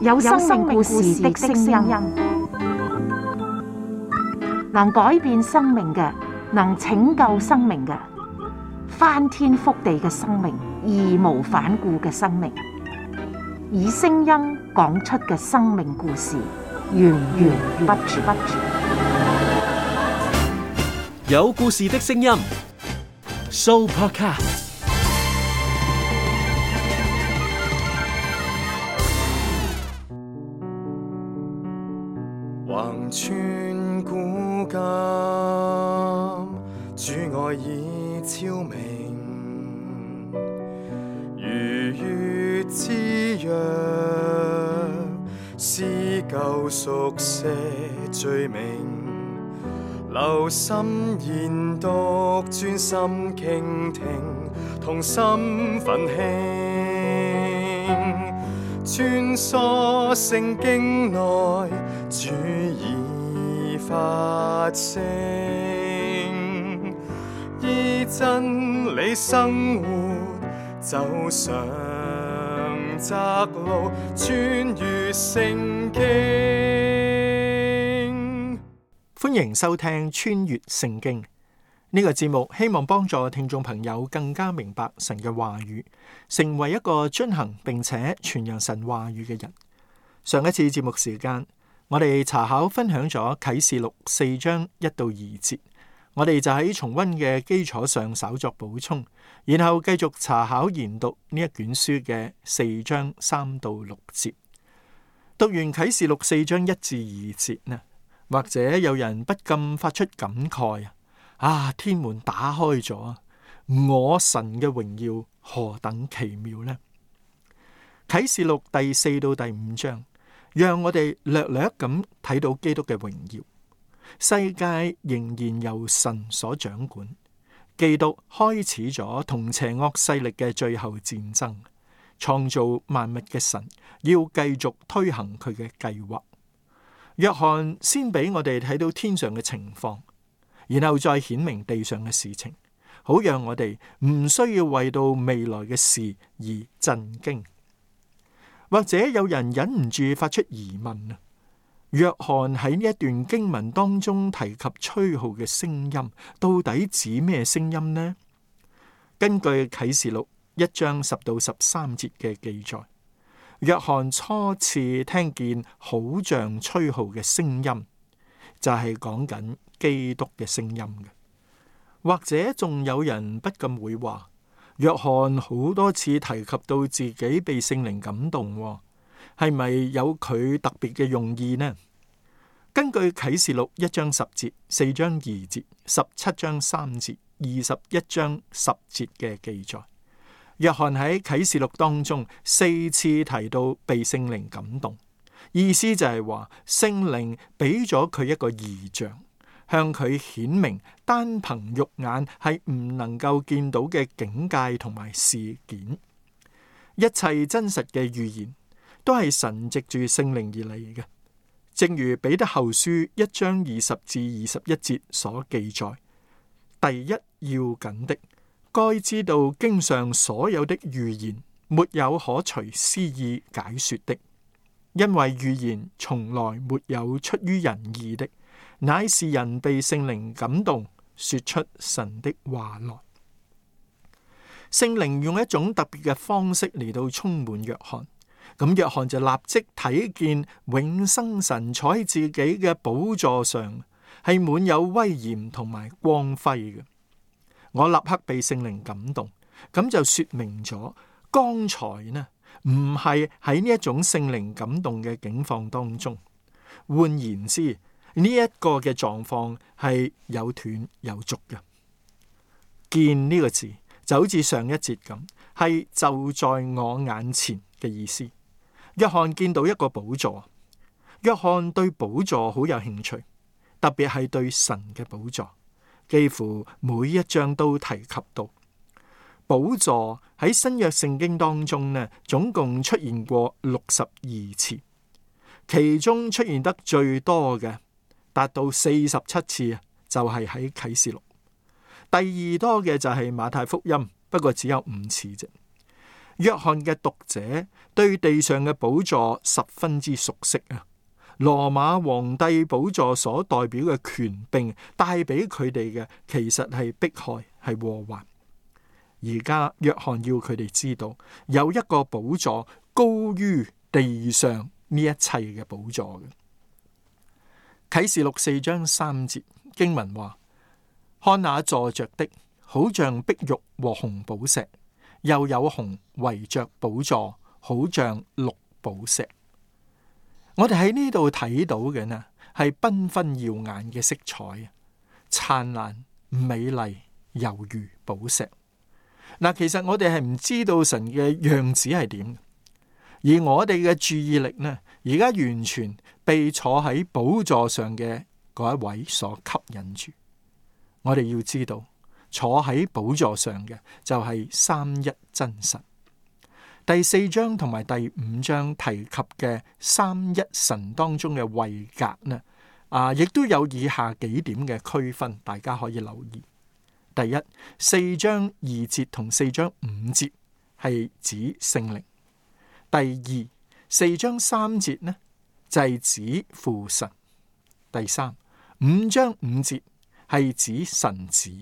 有生命故事的聲音，能改變生命嘅，能拯救生命嘅，翻天覆地嘅生命，義無反顧嘅生命，以聲音講出嘅生命故事，源源不絕。有故事的聲音 ，Sooopodcast。橫穿古今，主愛已超明，如月之約，撕舊熟寫罪名，留心研讀，專心傾聽，同心奮興，穿梭聖經內，主已發聲，依真理生活，走上窄路，穿越聖經。歡迎收聽穿越聖經呢個節目，希望幫助聽眾朋友更加明白神嘅話語，成為一個遵行並且傳揚神話語嘅人。上一次節目時間，我哋查考分享咗啟示錄4章1到2節，我哋就喺重溫嘅基礎上稍作補充，然後繼續查考研讀呢一卷書嘅4章3到6節。讀完啟示錄4章1至2節呢，或者有人不禁發出感慨啊！天門打開咗，我神嘅榮耀何等奇妙呢？啟示錄第4到第5章，讓我哋略略咁睇到基督嘅榮耀。世界仍然由神所掌管，基督開始咗同邪惡勢力嘅最後戰爭，創造萬物嘅神要繼續推行佢嘅計劃。約翰先俾我哋睇到天上嘅情況，然後再顯明地上嘅事情，好讓我哋唔需要為到未來嘅事而震驚。或者有人忍唔住發出疑問啊，約翰喺呢一段經文當中提及吹號嘅聲音，到底指咩聲音呢？根據啟示錄1章10到13節嘅記載，約翰初次聽見好像吹號嘅聲音，就係講緊基督嘅聲音嘅。或者仲有人不禁會話，約翰好多次提及到自己被聖靈感動，係咪有佢特別嘅用意呢？根據啟示錄1章10節、4章2節、17章3節、21章10節嘅記載，約翰喺啟示錄當中4次提到被聖靈感動，意思就係話聖靈俾咗佢一個異象，向佢顯明單憑肉眼係唔能夠見到嘅境界同埋事件。一切真實嘅預言都係神藉住聖靈而嚟嘅，正如彼得後書1章20至21節所記載，第一要緊的，該知道經上所有的預言沒有可隨私意解說的，因為預言從來沒有出於人意的，乃是人被聖靈感動，說出神的話來。聖靈用一種特別嘅方式嚟到充滿約翰，咁約翰就立即睇見永生神坐喺自己嘅寶座上，係滿有威嚴同埋光輝嘅。我立刻被聖靈感動，咁就說明咗剛才呢唔係喺呢一種聖靈感動嘅境況當中。換言之，呢一個嘅狀況係有斷有續嘅。見呢個字就好似上一節咁，係就在我眼前嘅意思。約翰見到一個寶座，約翰對寶座好有興趣，特別係對神嘅寶座，幾乎每一章都提及到。寶座喺新約聖經當中呢，總共出現過62次，其中出現得最多嘅達到47次，就係喺啟示錄。第二多嘅就係馬太福音，不過只有5次啫。約翰嘅讀者對地上嘅寶座十分之熟悉啊！羅馬皇帝寶座所代表嘅權柄帶俾佢哋嘅，其實係迫害，係禍患。而家約翰要佢哋知道，有一個寶座高於地上呢一切嘅寶座嘅。啟示錄4章3節經文話：看那坐着的，好像碧玉和紅寶石，又有紅圍着寶座，好像綠寶石。我哋喺呢度睇到嘅呢，係繽紛耀眼嘅色彩，燦爛美麗，猶如寶石。嗱，其實我哋係唔知道神嘅樣子係點，而我哋嘅注意力呢，而家完全被坐喺寶座上嘅嗰一位所吸引住。我哋要知道，坐喺寶座上嘅就係三一真神。第4章同埋第5章提及嘅三一神當中嘅位格呢，亦都有以下幾點嘅區分，大家可以留意。第一，4章2節同4章5節係指聖靈。第二，4章3節呢就係指父神。第三，5章5節係指神子。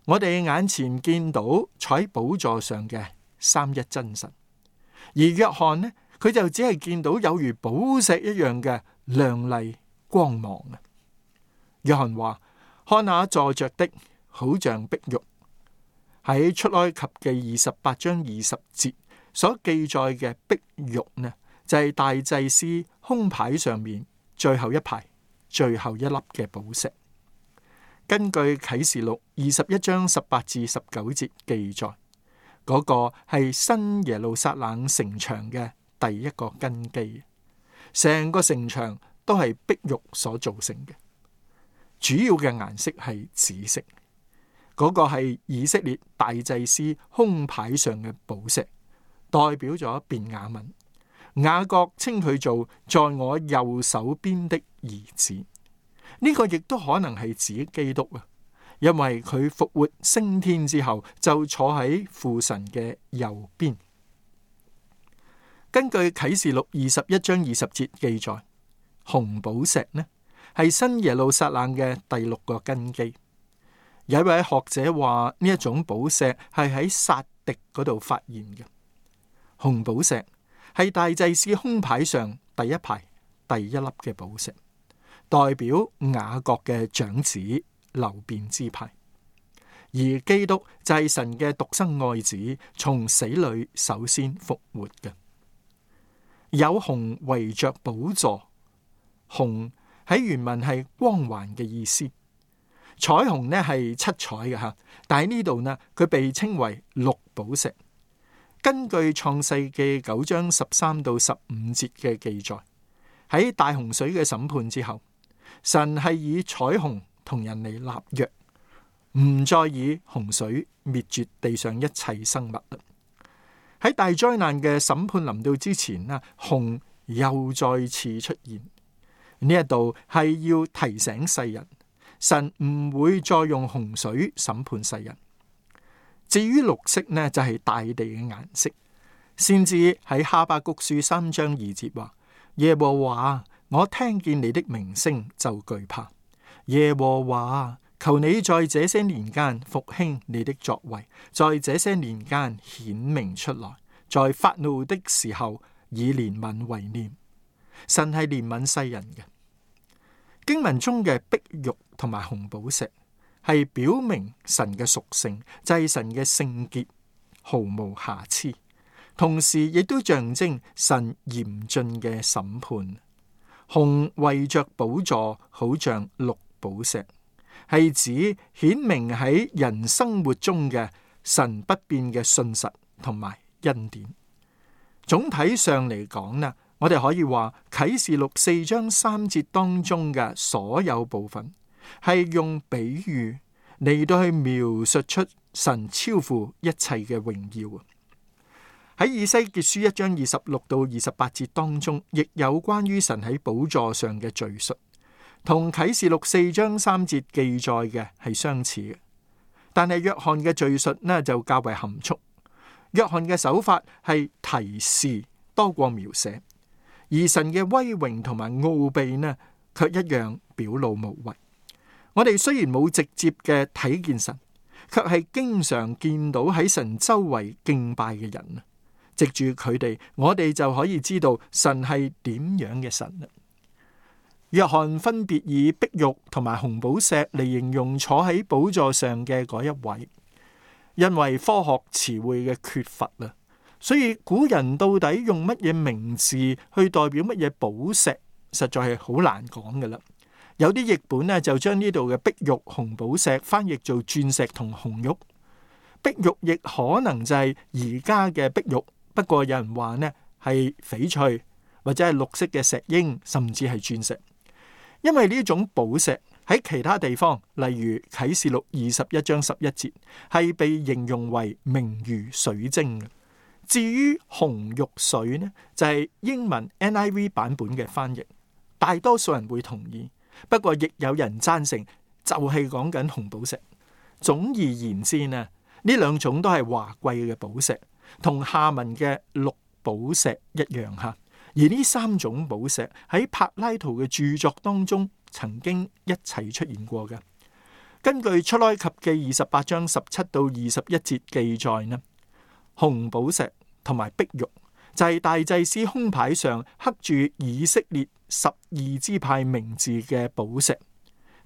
我哋眼前見到坐喺寶座上嘅三一真神，而約翰呢，佢就只係見到有如寶石一樣嘅亮麗光芒啊！約翰話：看那坐着的，好像碧玉。喺出埃及嘅28章20節所記載嘅碧玉呢，就係大祭司胸牌上面最後一排最後一粒嘅寶石。根據啟示錄21章18至19節記載，嗰個係新耶路撒冷城牆嘅第一個根基，成個城牆都係碧玉所造成嘅，主要嘅顏色係紫色。嗰個係以色列大祭司胸牌上嘅寶石，代表咗便雅憫。雅各稱佢做在我右手邊的兒子。呢個亦都可能係指基督啊，因為佢復活升天之後就坐喺父神嘅右邊。根據啟示錄21章20節記載，紅寶石呢係新耶路撒冷嘅第6個根基。有一位學者話呢一種寶石係喺撒狄嗰度發現嘅。紅寶石係大祭司胸牌上第一排第一粒嘅寶石，代表雅各嘅長子流便支派，而基督就係神嘅獨生愛子，從死裏首先復活嘅。有紅圍着寶座，紅喺原文係光環嘅意思。彩虹呢係七彩嘅吓，但喺呢度呢，佢被稱為綠寶石。根據創世記9章13到15節嘅記載，喺大洪水嘅審判之後，神係以彩虹同人嚟立約，唔再以洪水滅絕地上一切生物啦。喺大災難嘅審判臨到之前呢，紅又再次出現。呢一度係要提醒世人，神唔會再用洪水審判世人。至於綠色呢，就係大地嘅顏色。先至喺哈巴谷書3章2節話：耶和華，我聽見你的名聲就懼怕。耶和華，求你在這些年間復興你的作為，在這些年間顯明出來，在發怒的時候以憐憫為念。神係憐憫世人嘅。經文中嘅碧玉同埋紅寶石係表明神嘅屬性，就係神嘅聖潔，毫無瑕疵，同時亦都象徵神嚴峻嘅審判。紅圍着寶座，好像綠寶石，係指顯明喺人生活中嘅神不變嘅信實同埋恩典。總體上嚟講呢，我哋可以話啟示錄4章3節當中嘅所有部分係用比喻嚟到去描述出神超乎一切嘅榮耀。喺以西結書1章26到28節當中，亦有關於神喺寶座上嘅敘述，同啟示錄4章3節記載嘅係相似嘅。但係約翰嘅敘述呢就較為含蓄。約翰嘅手法係提示多過描寫，而神嘅威榮同埋奧秘呢，卻一樣表露無遺。我哋雖然冇直接嘅睇見神，卻係經常見到喺神周圍敬拜嘅人。藉住佢哋，我哋就可以知道神係點樣嘅神。約翰分別以碧玉同埋紅寶石嚟形容坐喺寶座上嘅嗰一位。因為科學詞彙嘅缺乏啦，所以古人到底用乜嘢名字去代表乜嘢寶石，實在係好難講㗎啦。有啲譯本呢，就將呢度嘅碧玉、紅寶石翻譯做鑽石同紅玉。碧玉亦可能就係而家嘅碧玉，不過有人話呢係翡翠或者係綠色嘅石英，甚至係鑽石。因為呢種寶石喺其他地方，例如啟示錄21章11節，係被形容為明如水晶嘅。至於紅玉水呢，就係英文 NIV 版本嘅翻譯，大多數人會同意。不過亦有人贊成，就係講緊紅寶石。總而言之呢，呢兩種都係華貴嘅寶石，同下文嘅綠寶石一樣吓。而呢三種寶石喺柏拉圖嘅著作當中曾經一齊出現過嘅。根據出埃及記28章17到21節記載呢，紅寶石同埋碧玉就係大祭司胸牌上刻住以色列12支派名字嘅寶石，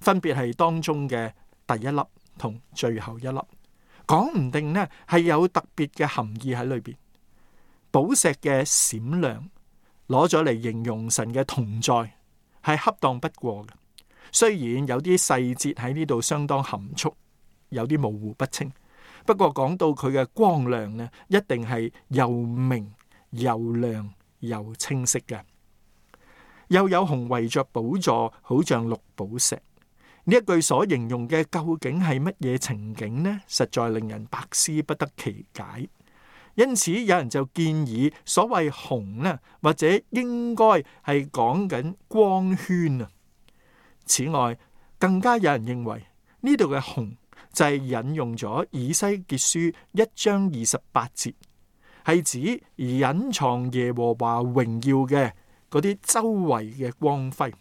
分別係當中嘅第一粒同最後一粒。講唔定呢係有特別嘅含義喺裏邊。寶石嘅閃亮攞咗嚟形容神嘅同在，係恰當不過嘅。雖然有啲細節喺呢度相當含蓄，有啲模糊不清，不過講到佢嘅光亮呢，一定係又明又亮又清晰嘅。又有紅圍着寶座，好像綠寶石。呢一句所形容嘅究竟係乜嘢情景呢？實在令人百思不得其解。因此有人就建議所謂紅呢，或者應該係講緊光圈啊。此外，更加有人認為呢度嘅紅就係引用咗以西結書1章28節，係指隱藏耶和華榮耀嘅嗰啲周圍嘅光輝。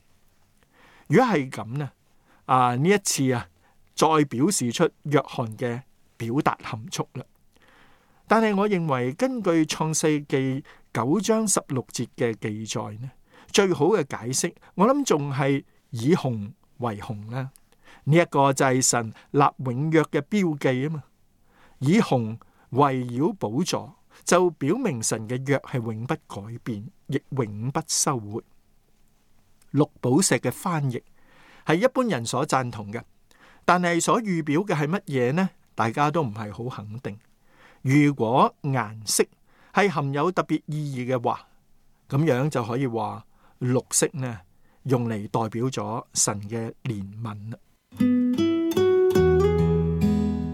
如果係咁呢，呢一次再表示出約翰嘅表達含蓄啦。但係我認為根據創世記9章16節嘅記載呢，最好嘅解釋，我諗仲係以紅為紅啦。呢一個就係神立永約嘅標記啊嘛。以紅圍繞寶座，就表明神嘅約係永不改變，亦永不收回。綠寶石嘅翻譯係一般人所贊同嘅，但係所預表嘅係乜嘢呢？大家都唔係好肯定。如果顏色係含有特別意義嘅話，咁樣就可以話綠色呢，用嚟代表咗神嘅憐憫啦。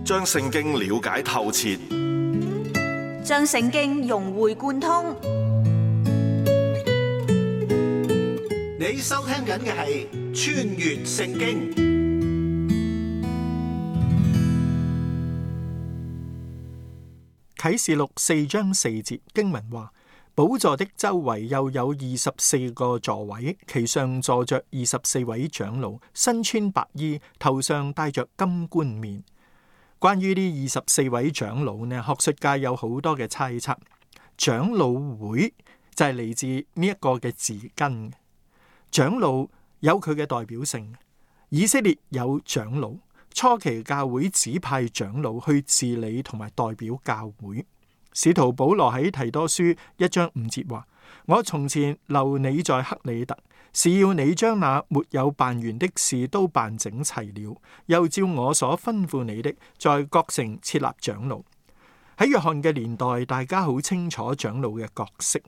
將聖經了解透徹，將聖經融會貫通。你收聽緊嘅係《穿越聖經》。啟示錄4章4節經文話，寶座的周圍又有24個座位，其上坐着24位長老，身穿白衣，頭上戴着金冠冕。關於呢24位長老呢，學術界有好多嘅猜測。長老會就係嚟自呢一個嘅字根。長老有佢嘅代表性，以色列有長老。初期教會指派長老去治理同埋代表教會。使徒保羅喺提多書1章5節話：我從前留你在克里特，是要你將那沒有辦完的事都辦整齊了，又照我所吩咐你的，在各城設立長老。喺約翰嘅年代，大家好清楚長老嘅角色，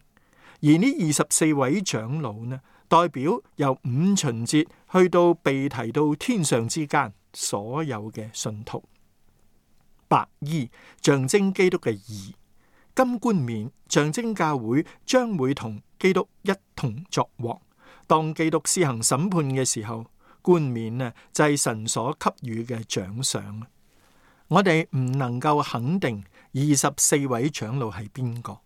而呢24位長老呢，代表由五旬節去到被提到天上之間所有嘅信徒。白衣象徵基督嘅義，金冠冕象徵教會將會同基督一同作王。當基督施行審判嘅時候，冠冕呢就係神所給予嘅獎賞。我哋唔能夠肯定24位長老係邊個？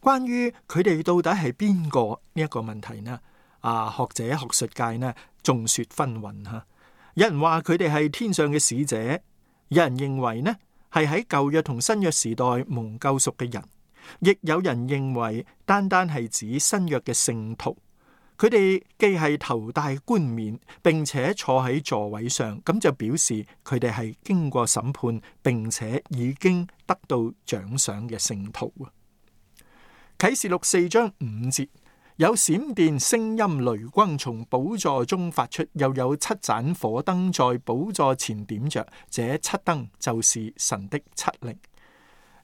關於佢哋到底係邊個呢一個問題呢？學者學術界呢眾說紛紜吓。有人話佢哋係天上嘅使者，有人認為呢係喺舊約同新約時代蒙救贖嘅人，亦有人認為單單係指新約嘅聖徒。佢哋既係頭戴冠冕，並且坐喺座位上，咁就表示佢哋係經過審判，並且已經得到獎賞嘅聖徒。啟示錄4章5節，有閃電、聲音、雷轟從寶座中發出，又有7盞火燈在寶座前點着，這7燈就是神的7靈。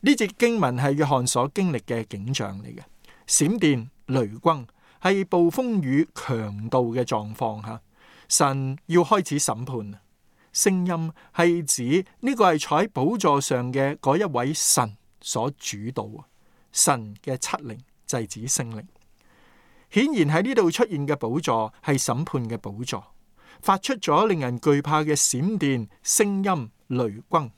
呢節經文係約翰所經歷嘅景象嚟嘅，閃電、雷轟係暴風雨強度嘅狀況吓，神要開始審判。聲音係指呢個係坐喺寶座上嘅嗰一位神所主導，神嘅7靈就係指聖靈。顯然喺呢度出現嘅寶座係審判嘅寶座，發出咗令人懼怕嘅閃電、聲音、雷轟。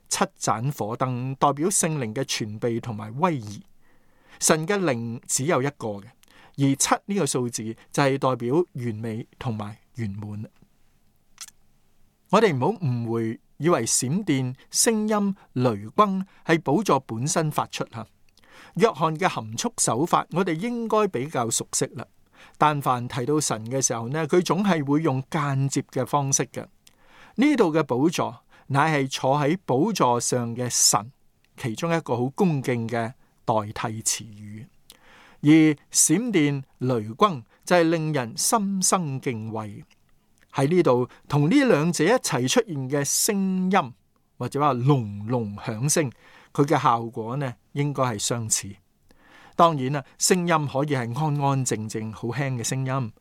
7盞火燈代表聖靈嘅全備同埋威儀。神嘅靈只有一個嘅，而7呢個數字就係代表完美同埋圓滿。我哋唔好誤會，以為閃電、聲音、雷轟係寶座本身發出吓。約翰嘅含蓄手法，我哋應該比較熟悉啦。但凡提到神嘅時候呢，佢總係會用間接嘅方式嘅。呢度嘅寶座乃係坐喺寶座上嘅神，其中一個好恭敬嘅代替詞語。而閃電、雷轟就係令人心生敬畏。喺呢度同呢兩者一齊出現嘅聲音，或者話隆隆響聲，佢嘅效果呢應該係相似。當然啦，聲音可以係安安靜靜好輕嘅聲音，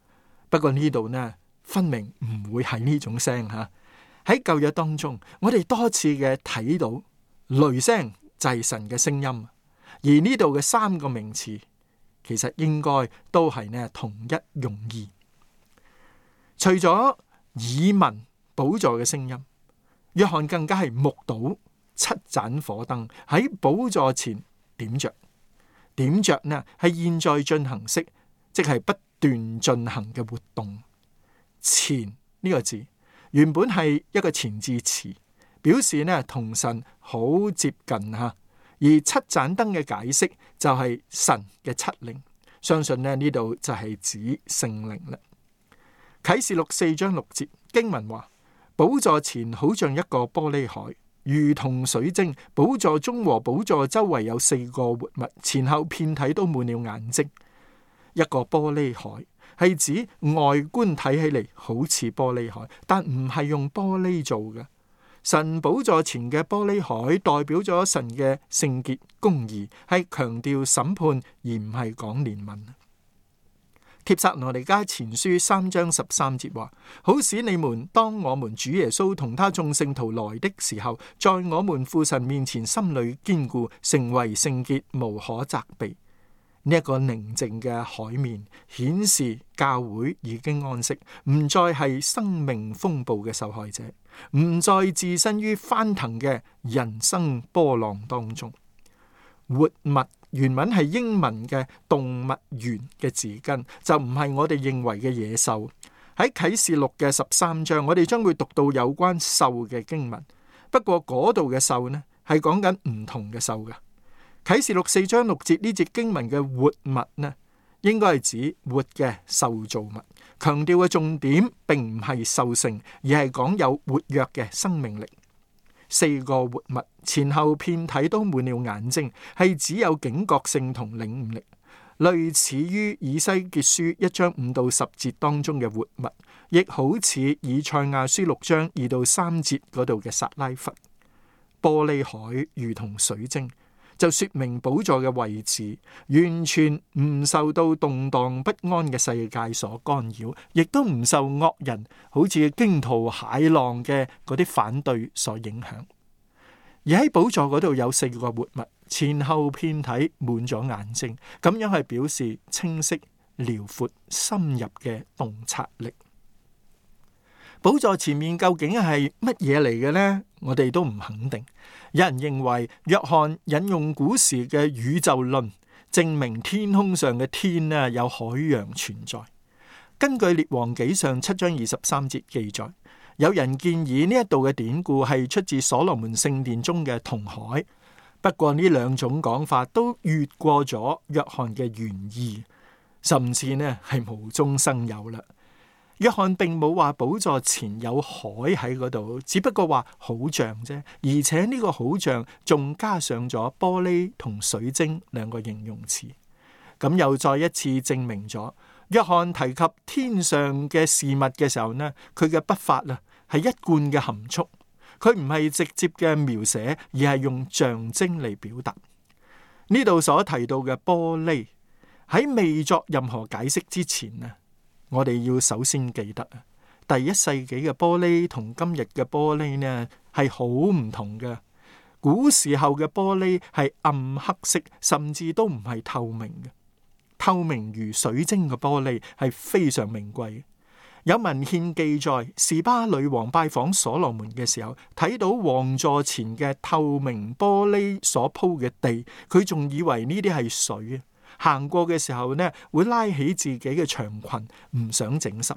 不過呢度呢分明唔會係呢種聲吓。喺舊約當中，我哋多次嘅睇到雷聲就係神嘅聲音，而呢度嘅3個名詞其實應該都係呢同一用意。除咗耳聞寶座嘅聲音，約翰更加係目睹7盞火燈喺寶座前點着。點着呢係現在進行式，即係不斷進行嘅活動。前呢個字原本係一個前置詞，表示呢同神好接近吓。而7盞燈嘅解釋就係神嘅7靈，相信呢度就係指聖靈啦。啟示錄4章6節經文話：寶座前好像一個玻璃海，如同水晶，寶座中和寶座周圍有4個活物，前後遍體都滿了眼睛。一個玻璃海係指外觀睇起嚟好似玻璃海，但唔係用玻璃做嘅。神寶座前嘅玻璃海代表咗神嘅聖潔公義，係強調審判而唔係講憐憫。帖撒羅尼迦前書3章13節話：好使你們當我們主耶穌同他眾聖徒來的時候，在我們父神面前心裏堅固，成為聖潔，無可責備。呢一個寧靜嘅海面顯示教會已經安息，唔再係生命風暴嘅受害者，唔再置身於翻騰嘅人生波浪當中。活物原文係英文嘅動物園嘅字根，就唔係我哋認為嘅野獸。喺啟示錄嘅13章，我哋將會讀到有關獸嘅經文。不過嗰度嘅獸呢，係講緊唔同嘅獸嘅。啟示錄4章6節呢節經文嘅活物呢，應該係指活嘅受造物。強調嘅重點並唔係獸性，而係講有活躍嘅生命力。4個活物前後遍體都滿了眼睛，係只有警覺性同領悟力，類似於以西結書1章5到10節當中嘅活物，亦好似以賽亞書6章2到3節嗰度嘅撒拉弗。玻璃海如同水晶，就說明寶座嘅位置完全唔受到動盪不安嘅世界所干擾，亦都唔受惡人好似驚濤駭浪嘅嗰啲反對所影響。而喺寶座嗰度有4個活物，前後遍體滿咗眼睛，咁樣係表示清晰、遼闊、深入嘅洞察力。寶座前面究竟係乜嘢嚟嘅呢？我哋都唔肯定。有人認為約翰引用古時嘅宇宙論，證明天空上嘅天呢有海洋存在。根據列王紀上7章23節記載，有人建議呢一度嘅典故係出自所羅門聖殿中嘅銅海。不過呢兩種講法都越過咗約翰嘅原意，甚至呢係無中生有啦。約翰並冇話寶座前有海喺嗰度，只不過話好像啫，而且呢個好像仲加上咗玻璃同水晶兩個形容詞，咁又再一次證明咗約翰提及天上嘅事物嘅時候呢，佢嘅筆法啊係一貫嘅含蓄，佢唔係直接嘅描寫，而係用象徵嚟表達。呢度所提到嘅玻璃喺未作任何解釋之前啊，我哋要首先記得啊，第一世紀嘅玻璃同今日嘅玻璃呢係好唔同嘅。古時候嘅玻璃係暗黑色，甚至都唔係透明嘅。透明如水晶嘅玻璃係非常名貴嘅。有文獻記載，示巴女王拜訪所羅門嘅時候，睇到王座前嘅透明玻璃所鋪嘅地，佢仲以為呢啲係水啊。行過嘅時候呢，會拉起自己嘅長裙，唔想整濕。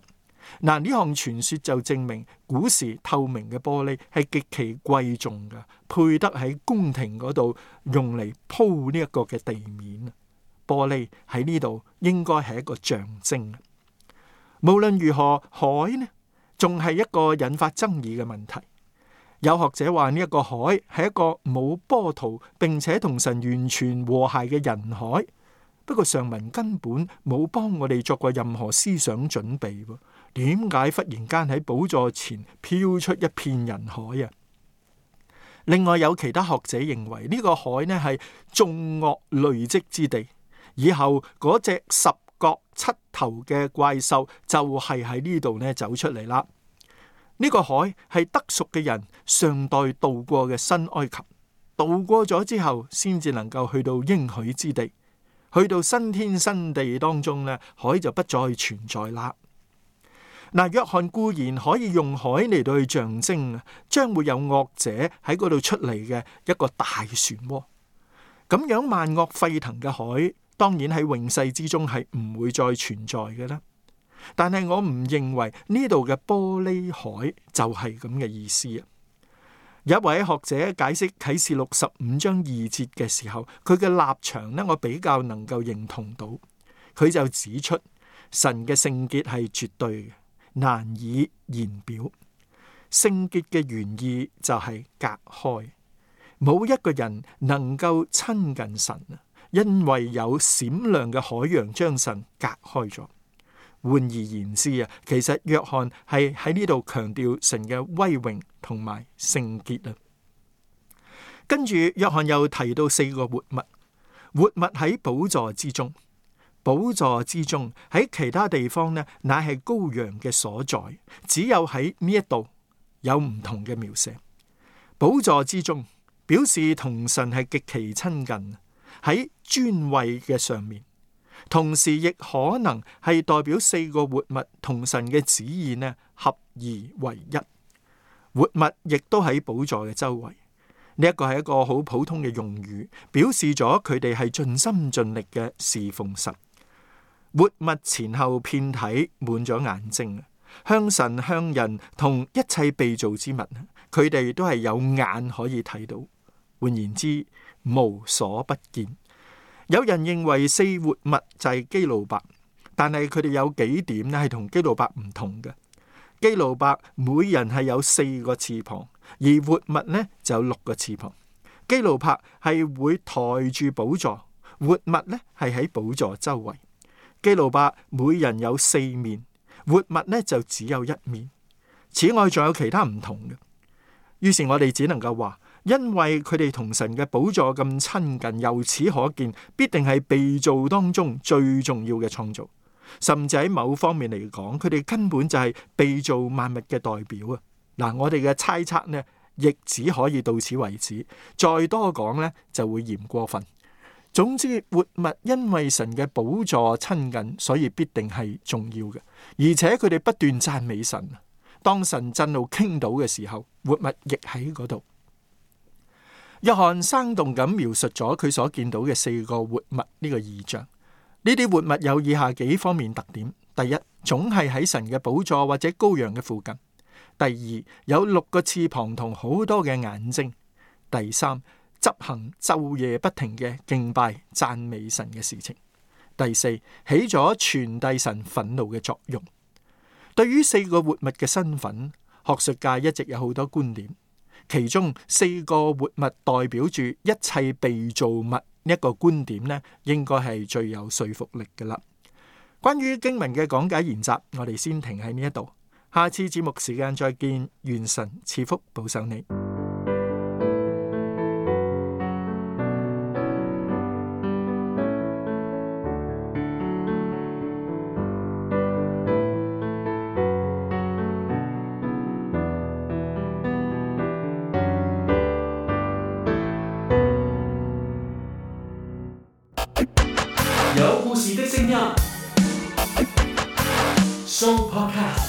嗱，呢項傳說就證明古時透明嘅玻璃係極其貴重嘅，配得喺宮廷嗰度用嚟鋪呢一個嘅地面。玻璃喺呢度應該係一個象徵。無論如何，海呢仲係一個引發爭議嘅問題。有學者話呢一個海係一個冇波濤，並且同神完全和諧嘅人海。不過上文根本冇幫我哋作過任何思想準備，點解忽然間喺寶座前飄出一片人海啊？另外有其他學者認為呢個海呢係眾惡累積之地，以後嗰隻10角7頭嘅怪獸就係喺呢度呢走出嚟啦。呢個海係得贖嘅人上代渡過嘅新埃及，渡過咗之後先至能夠去到應許之地。去到新天新地當中呢，海就不再存在啦。嗱，約翰固然可以用海嚟到去象徵將會有惡者喺嗰度出嚟嘅一個大漩渦。咁樣萬惡沸騰嘅海，當然喺永世之中係唔會再存在嘅啦。但係我唔認為呢度嘅玻璃海就係咁嘅意思啊。有一位學者解釋啟示錄15章2節嘅時候，佢嘅立場呢，我比較能夠認同到。佢就指出神嘅聖潔係絕對嘅，難以言表。聖潔嘅原意就係隔開，冇一個人能夠親近神，因為有閃亮嘅海洋將神隔開咗。換而言之啊，其實約翰係喺呢度強調神嘅威榮同埋聖潔啊。跟住約翰又提到4個活物，活物喺寶座之中，寶座之中喺其他地方呢，乃係羔羊嘅所在，只有喺呢一度有唔同嘅描寫。寶座之中表示同神係極其親近，喺尊位嘅上面。同時亦可能係代表4個活物同神嘅旨意呢合而為一。活物亦都喺寶座嘅周圍，呢一個係一個好普通嘅用語，表示咗佢哋係盡心盡力嘅侍奉神。活物前後遍體滿咗眼睛，向神向人同一切被造之物，佢哋都係有眼可以睇到。換言之，無所不見。有人認為4活物就係基路伯，但係佢哋有幾點呢係同基路伯唔同嘅。基路伯每人係有4個翅膀，而活物呢就有6個翅膀。基路伯係會抬住寶座，活物呢係喺寶座周圍。基路伯每人有4面，活物呢就只有1面。此外仲有其他唔同嘅。於是我哋只能夠話，因為佢哋同神嘅寶座咁親近，由此可見必定係被造當中最重要嘅創造，甚至喺某方面嚟講，佢哋根本就係被造萬物嘅代表啊！嗱，我哋嘅猜測呢，亦只可以到此為止，再多講呢就會嫌過分。總之，活物因為神嘅寶座親近，所以必定係重要嘅，而且佢哋不斷讚美神。當神震怒傾倒嘅時候，活物亦喺嗰度。約翰生動咁描述咗佢所見到嘅4個活物呢個異象。呢啲活物有以下幾方面特點：第一，總係喺神嘅寶座或者羔羊嘅附近；第二，有6個翅膀同好多嘅眼睛；第三，執行晝夜不停嘅敬拜讚美神嘅事情；第四，起咗傳遞神憤怒嘅作用。對於4個活物嘅身份，學術界一直有好多觀點。其中4個活物代表住一切被造物，呢一個觀點呢，應該係最有說服力嘅啦。關於經文嘅講解研習，我哋先停喺呢一度。下次節目時間再見，願神賜福保守你。有故事的聲音 Show Podcast。